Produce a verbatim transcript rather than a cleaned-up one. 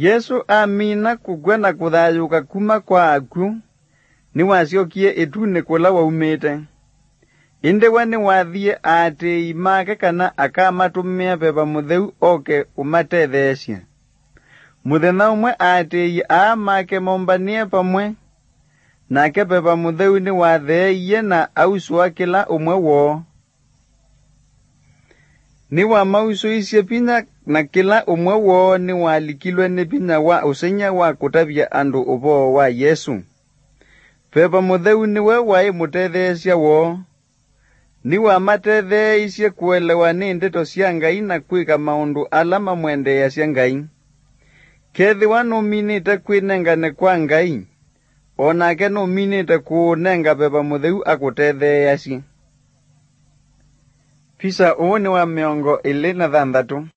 Yesũ amina kũkw'a na kũthayũũka kuma kwa akw'ũ, nĩwasyokie ĩtunĩ kũla waumĩte. Ĩndĩ we nĩwathie aatĩĩi make kana akamatũmĩa Veva Mũtheu oke ũmatetheesye. Mũthenya ũmwe aatĩĩi aa make mombanĩe vamwe, nake Veva Mũtheu nĩwatheeie na ausũa kĩla ũmwe woo. Nĩwamausũisye vinya, na kĩla ũmwe woo nĩwalikilwe nĩ vinya wa ũsengy'a wa kũtavya andũ ũvoo wa Yesũ. Veva Mũtheu nĩwe waĩ mũtetheesya woo. Nĩwamatetheeisye kũelewa nĩ ndeto sya Ngai na kwĩka maũndũ ala mamwendeeasya Ngai. Kethĩwa nũminĩte kwĩnengane kwa Ngai, o nake nũminĩte kũũnenga Veva Mũtheu akũtetheeasye. Visa ũũ nĩ wa mĩongo ĩlĩ na thanthatũ.